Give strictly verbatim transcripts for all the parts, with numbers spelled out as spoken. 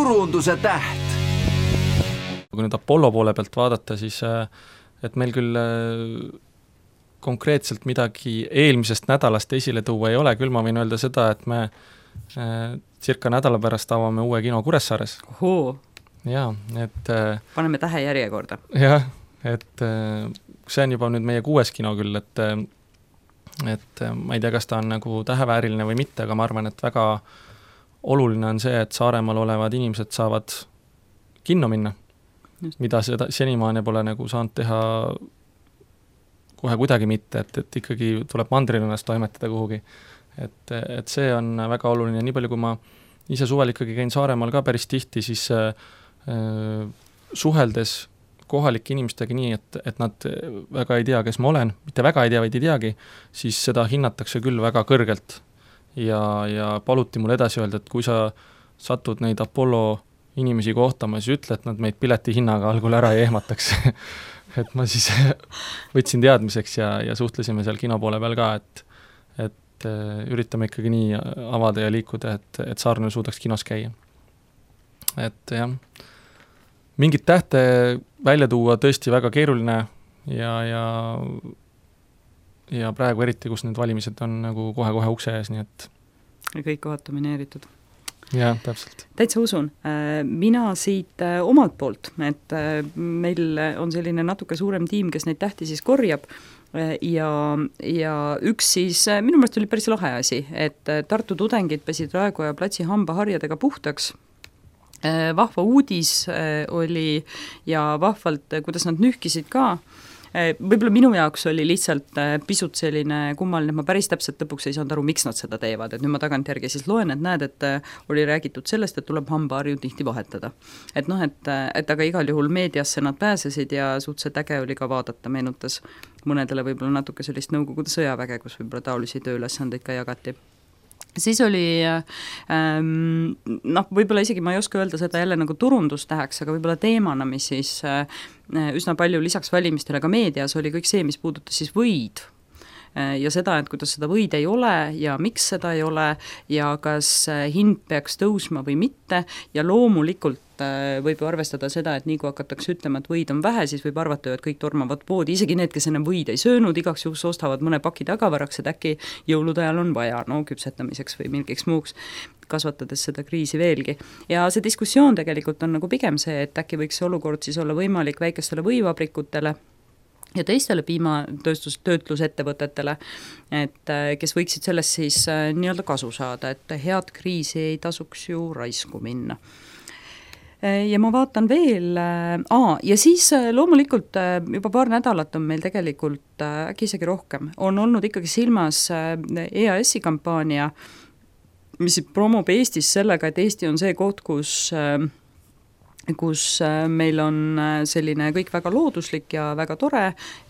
turunduse täht. Kui nüüd Apollo poole pealt vaadata, siis et meil küll konkreetselt midagi eelmisest nädalast esile tuua ei ole, küll ma võin öelda seda, et me circa nädala pärast avame uue kino Kuressaares. Ohoo. Jaa, et paneme tähe järjekorda. Jah, et see on juba nüüd meie kuues kino küll, et et ma ei tea, kas ta on nagu tähevääriline või mitte, aga ma arvan, et väga oluline on see, et Saaremaal olevad inimesed saavad kinno minna, Just. mida seda senimaani pole nagu saanud teha kohe kuidagi mitte, et, et ikkagi tuleb mandrilinnas toimetada kuhugi. Et, et see on väga oluline, nii palju kui ma ise suvel ikkagi käin Saaremaal ka päris tihti, siis äh, suheldes kohalike inimestega nii, et, et nad väga ei tea, kes ma olen, mitte väga ei tea, vaid ei teagi, siis seda hinnatakse küll väga kõrgelt. Ja, ja paluti mul edasi öelda, et kui sa satud neid Apollo inimesi kohtama, siis ütle, et nad meid pileti hinnaga algul ära ei ehmataks. et ma siis võtsin teadmiseks ja, ja suhtlesime seal kino poole peal ka, et, et üritame ikkagi nii avada ja liikuda, et, et Saarnal suudaks kinos käia. Et jah, mingit tähte välja tuua tõesti väga keeruline ja, ja, ja praegu eriti, kus need valimised on nagu kohe-kohe ukse ees, nii et ja kõik kohad domineeritud. Jah, täpselt. Täitsa usun. Mina siit omalt poolt, et meil on selline natuke suurem tiim, kes neid tähti siis korjab ja, ja üks siis, minu meelest oli päris lahe asi, et Tartu tudengid pesid Raekoja platsi hambaharjadega puhtaks. Vahva uudis oli ja vahvalt, kuidas nad nühkisid ka. Võib-olla minu jaoks oli lihtsalt pisut selline kummaline, et ma päris täpselt lõpuks ei saanud aru, miks nad seda teevad, et nüüd ma tagantjärgi siis loen, et näed, et oli räägitud sellest, et tuleb hambaharju tihti vahetada. Et noh, et, et aga igal juhul meediasse nad pääsesid ja suhteliselt äge oli ka vaadata, meenutas mõnedele võib-olla natuke sellist nõukogude sõjaväge, kus võib-olla taolisi tööülesandeid ka jagati. Siis oli, ähm, noh, võib-olla isegi ma ei oska öelda seda jälle nagu turundustäheks, aga võib-olla teemana, mis siis äh, üsna palju lisaks valimistele ka meedias oli kõik see, mis puudutas siis võid äh, ja seda, et kuidas seda võid ei ole ja miks seda ei ole ja kas hind peaks tõusma või mitte ja loomulikult võib ju arvestada seda, et nii kui hakatakse ütlema, et võid on vähe, siis võib arvata ju, et kõik tormavad poodi, isegi need, kes enne võid ei söönud, igaks juhus ostavad mõne paki tagavaraks, et äkki jõulude ajal on vaja, no küpsetamiseks või milgiks muuks, kasvatades seda kriisi veelgi. Ja see diskussioon tegelikult on nagu pigem see, et äkki võiks see olukord siis olla võimalik väikestele võivabrikutele ja teistele piimatööstus, töötlusettevõtetele, et kes võiksid sellest siis nii-öelda kasu saada, et head kriisi ei tasuks ju raisku minna. Ja ma vaatan veel, aa, ja siis loomulikult juba paar nädalat on meil tegelikult, äkki isegi rohkem, on olnud ikkagi silmas E A S-i kampaania, mis promob Eestis sellega, et Eesti on see koht, kus kus meil on selline kõik väga looduslik ja väga tore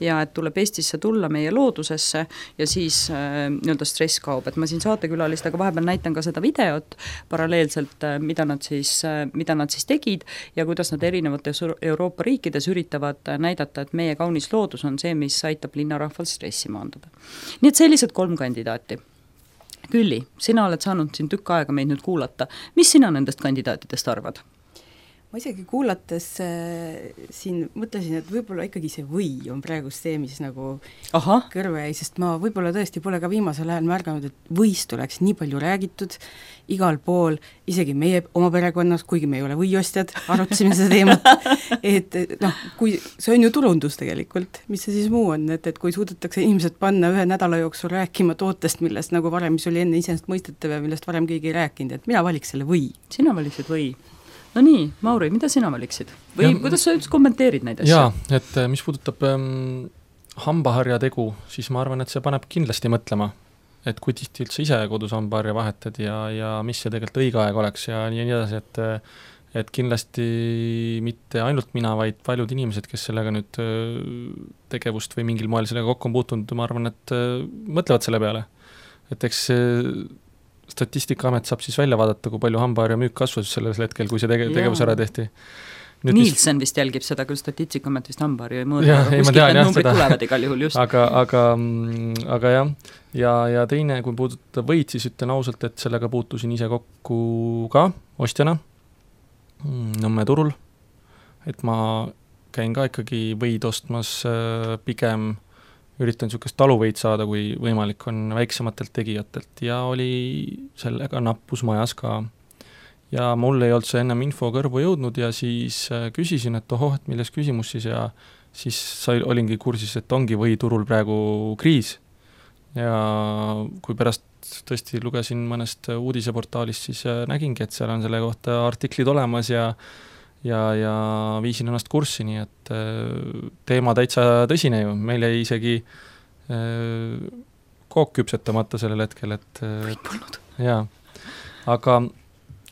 ja et tuleb Eestisse tulla meie loodusesse ja siis nii-öelda stress kaob, et ma siin saatekülalistega vahepeal näitan ka seda videot paralleelselt, mida nad siis, mida nad siis tegid ja kuidas nad erinevates Euroopa riikides üritavad näidata, et meie kaunis loodus on see, mis aitab linnarahval stressi maandada. Nii et sellised kolm kandidaati. Külli, sina oled saanud siin tükk aega meid nüüd kuulata. Mis sina nendest kandidaatidest arvad? Ma isegi kuulates äh, siin mõtlesin, et võib-olla ikkagi see või on praegu see, mis nagu Aha. kõrve jäi, sest ma võib-olla tõesti pole ka viimasel ajal märganud, et võist oleks nii palju räägitud igal pool, isegi meie oma perekonnas, kuigi me ei ole võiostjad, arutasime seda teemat, et noh, kui see on ju turundus tegelikult, mis see siis muu on, et, et kui suudetakse inimesed panna ühe nädala jooksul rääkima tootest, millest nagu varem, mis oli enne iseenesest mõistetav ja millest varem keegi ei rääkinud, et mina valiks selle või. Sina valiksid või? No nii, Mauri, mida sina valiksid? Või ja, kuidas sa üldse kommenteerid neid asju? Jaa, et mis puudutab ähm, hambaharja tegu, siis ma arvan, et see paneb kindlasti mõtlema, et kui tihti üldse ise kodus hambaharja vahetad ja, ja mis see tegelikult õige aeg oleks ja nii, nii edasi, et, et kindlasti mitte ainult mina, vaid paljud inimesed, kes sellega nüüd tegevust või mingil moel sellega kokku on puutunud, ma arvan, et mõtlevad selle peale. Et eks Statistikaamet saab siis välja vaadata, kui palju hambaharja müük kasvas selles hetkel, kui see tege- tegevus ära tehti. Nüüd Nielsen vist jälgib seda, küll Statistikaamet vist hambaharju ei mõõda, aga kuskilt need numbrid tulevad igal juhul just. Aga, aga, aga jah, ja, ja teine, kui puudutab võid, siis ütlen ausalt, et sellega puutusin ise kokku ka ostjana Nõmme turul, et ma käin ka ikkagi võid ostmas pigem, üritan niisugust taluvõid saada, kui võimalik on väiksematelt tegijatelt ja oli sellega nappus majas ka. Ja mul ei olnud see ennem info kõrvu jõudnud ja siis küsisin, et ohoh, et milles küsimus siis ja siis sai, olingi kursis, et ongi võiturul praegu kriis. Ja kui pärast tõesti lugesin mõnest uudiseportaalist, siis nägingi, et seal on selle kohta artiklid olemas ja ja, ja viisin ennast kurssi, nii et teema täitsa tõsine ju, meil jäi isegi kook küpsetamata sellel hetkel, et jaa, aga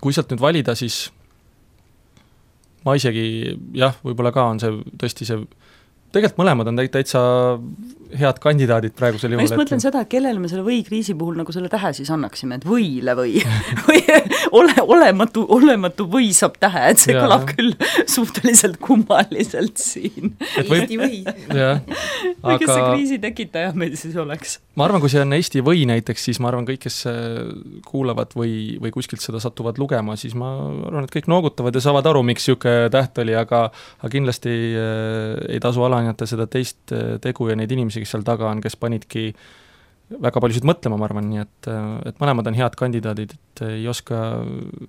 kui sealt nüüd valida, siis ma isegi, jah, võib-olla ka on see tõesti see, tegelikult mõlemad on täitsa head kandidaadid praegusel juhul. Ma just mõtlen et... seda, et kellele me selle või-kriisi puhul nagu selle tähe siis annaksime, et võile või, või ole, olematu, olematu või saab tähe, et see kõlab küll suhteliselt kummaliselt siin. Eesti või. Aga... kes see kriisi tekitaja meil siis oleks? Ma arvan, kui see on Eesti või näiteks, siis ma arvan, kõik, kes kuulavad või, või kuskilt seda satuvad lugema, siis ma arvan, et kõik noogutavad ja saavad aru, miks siuke täht oli, aga, aga kindlasti ei tasu alahinnata seda teist tegu ja neid inimesi, kes seal taga on, kes panidki väga paljusid mõtlema, ma arvan, nii et, et mõlemad on head kandidaadid, et ei oska,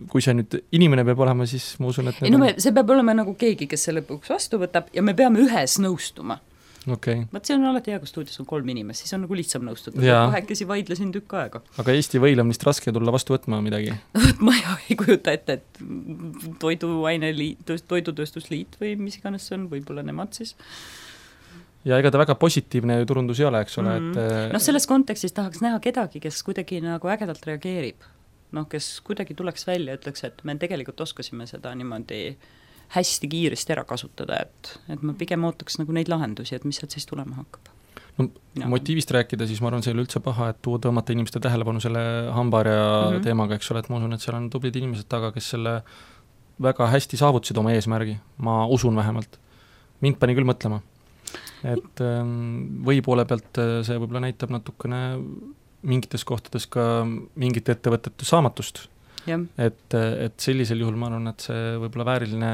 kui see nüüd inimene peab olema, siis ma usun, et ei, no me, see peab olema nagu keegi, kes selle lõpuks vastu võtab ja me peame ühes nõustuma. Okay. Vaat see on alati hea, kui stuudios on kolm inimest, siis on nagu lihtsam nõustuda. Kahekesi vaidlesin tükk aega. Aga Eesti võil on vist raske tulla vastu võtma midagi? ma ei kujuta ette, et toiduaine liit, toidutööstusliit või mis iganes see on, võib-olla nemad siis. Ja ega ta väga positiivne turundus ei ole, eks ole. Mm. Et... noh, selles kontekstis tahaks näha kedagi, kes kuidagi nagu ägedalt reageerib. Noh, kes kuidagi tuleks välja, ütleks, et me tegelikult oskasime seda niimoodi hästi kiiresti ära kasutada, et, et ma pigem ootaks nagu neid lahendusi, et mis sealt siis tulema hakkab. No, ja. Motiivist rääkida, siis ma arvan, see ei ole üldse paha, et tuua tõmmata inimeste tähelepanu selle hambaarja mm -hmm. teemaga, eks ole, et ma usun, et seal on tublid inimesed taga, kes selle väga hästi saavutasid oma eesmärgi, ma usun vähemalt. Mind pani küll mõtlema. Et või poole pealt see võib-olla näitab natukene mingites kohtades ka mingite ettevõtete saamatust. Ja. Et, et sellisel juhul ma arvan, et see võib-olla vääriline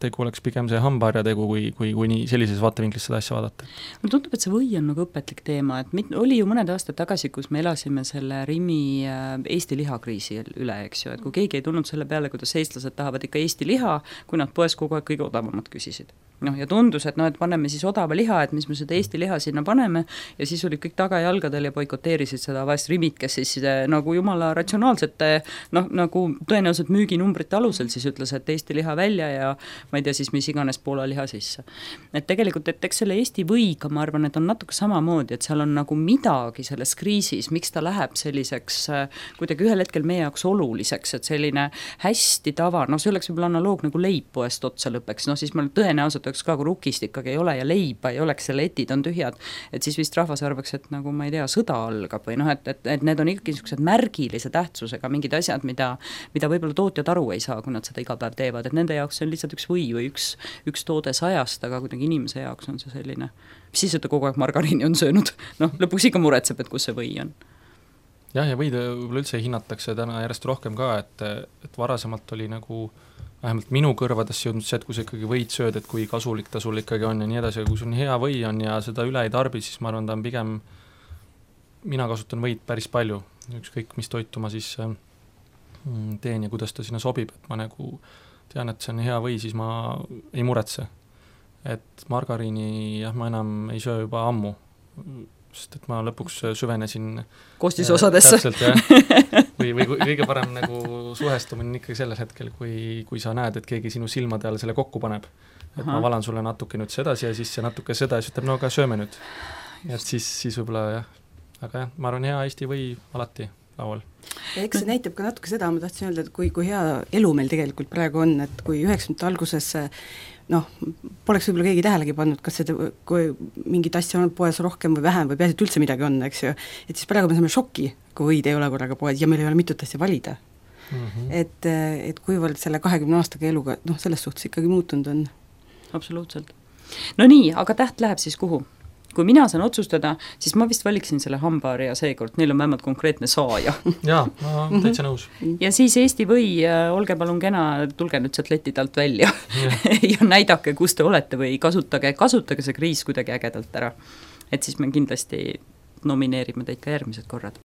tegu oleks pigem see hambaarja tegu, kui, kui, kui nii sellises vaatevinklis seda asja vaadata. Mulle tundub, et see või on nagu õpetlik teema, et mit, oli ju mõned aastad tagasi, kus me elasime selle Rimi Eesti lihakriisi üle, eks ju, et kui keegi ei tulnud selle peale, kuidas eestlased tahavad ikka Eesti liha, kui nad poes kogu aeg kõige odavamad küsisid. Noh, ja tundus, et no, et paneme siis odava liha, et mis me seda Eesti liha sinna paneme, ja siis olid kõik tagajalgadel ja boikoteerisid seda vahest Rimit, kes siis nagu jumala ratsionaalsete noh, nagu tõenäoliselt müüginumbrite alusel siis ütles, et Eesti liha välja ja ma ei tea siis, mis iganes Poola liha sisse. Et tegelikult, et eks selle Eesti võiga, ma arvan, et on natuke samamoodi, et seal on nagu midagi selles kriisis, miks ta läheb selliseks kuidagi ühel hetkel meie jaoks oluliseks, et selline hästi tava, noh, see oleks võib-olla analoog nagu leibpoest otsa lõpeks, noh, siis meil tõenäoliselt oleks ka, kui rukist ikkagi ei ole ja leiba ei oleks, selle etid on tühjad, et siis vist rahvas arvaks, et nagu ma ei tea, sõda algab või noh, et, et, et need on ikkagi niisugused märgilise tähtsusega mingid asjad, mida, mida võib-olla tootjad aru ei saa, kui nad seda iga päev teevad, et nende jaoks see on lihtsalt üks või või üks, üks toode sajast, aga kuidagi inimese jaoks on see selline, mis siis, et ta kogu aeg margariini on söönud, noh, lõpuks ikka muretseb, et kus see või on. Jah, ja võid võib-olla üldse hinnatakse täna järjest rohkem ka, et, et varasemalt oli nagu vähemalt minu kõrvadesse jõudnud see, et kui sa ikkagi võid sööd, et kui kasulik ta sul ikkagi on ja nii edasi, kui sul on hea või on ja seda üle ei tarbi, siis ma arvan, ta on pigem, mina kasutan võid päris palju, ükskõik mis toitu ma siis teen ja kuidas ta sinna sobib, et ma nagu tean, et see on hea või, siis ma ei muretse. Et margariini jah, ma enam ei söö juba ammu, sest et ma lõpuks süvenesin koostisosadesse. Täpselt, jah. Või, või kõige parem nagu suhestumine ikkagi sellel hetkel, kui, kui sa näed, et keegi sinu silmade all selle kokku paneb. Et Aha. ma valan sulle natuke nüüd sedasi ja siis see natuke seda ja siis ütleb, no aga sööme nüüd. Et siis, siis võib-olla jah, aga jah, ma arvan, hea Eesti või alati laual. Ja eks see näitab ka natuke seda, ma tahtsin öelda, et kui, kui hea elu meil tegelikult praegu on, et kui üheksakümnendate alguses noh, poleks võib-olla keegi tähelegi pannud, kas seda, kui mingit asja on poes rohkem või vähem või peaasi, et üldse midagi on, eks ju, et siis praegu me saame šoki, kui võid ei ole korraga poes ja meil ei ole mitut asja valida. Mm -hmm. et, et kuivõrd selle kahekümne aastaga eluga, noh, selles suhtes ikkagi muutunud on. Absoluutselt. No nii, aga täht läheb siis kuhu? kui mina saan otsustada, siis ma vist valiksin selle hambaharja seekord, neil on vähemalt konkreetne saaja. jaa, ma olen täitsa nõus. Ja siis Eesti või, olge palun kena, tulge nüüd sealt letid alt välja ja näidake, kus te olete või kasutage, kasutage see kriis kuidagi ägedalt ära. Et siis me kindlasti nomineerime teid ka järgmised korrad.